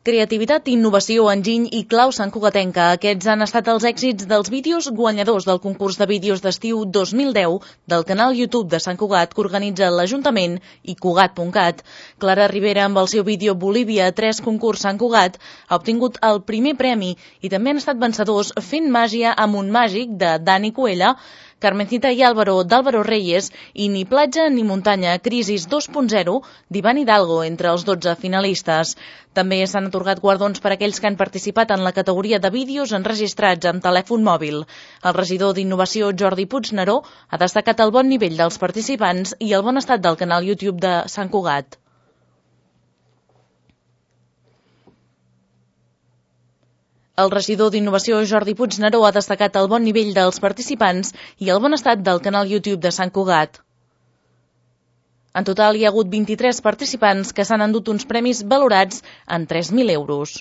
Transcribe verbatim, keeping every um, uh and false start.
Creativitat, innovació, enginy i clau santcugatenca. Aquests han estat els èxits dels vídeos guanyadors del concurs de vídeos d'estiu dos mil deu del canal YouTube de Sant Cugat que organitza l'Ajuntament i Cugat punt cat. Clara Rivera, amb el seu vídeo Bolívia tres concurs Sant Cugat, ha obtingut el primer premi i també han estat vencedors Fent màgia amb un màgic de Dani Cuella, Carmencita i Álvaro d'Álvaro Reyes i Ni platja ni muntanya, Crisis dos punt zero d'Ivan Hidalgo, entre els dotze finalistes. També s'han atorgat guardons per a aquells que han participat en la categoria de vídeos enregistrats amb telèfon mòbil. El regidor d'Innovació, Jordi Puigneró, ha destacat el bon nivell dels participants i el bon estat del canal YouTube de Sant Cugat. El regidor d'Innovació, Jordi Puigneró, ha destacat el bon nivell dels participants i el bon estat del canal YouTube de Sant Cugat. En total hi ha hagut vint-i-tres participants que s'han endut uns premis valorats en tres mil euros.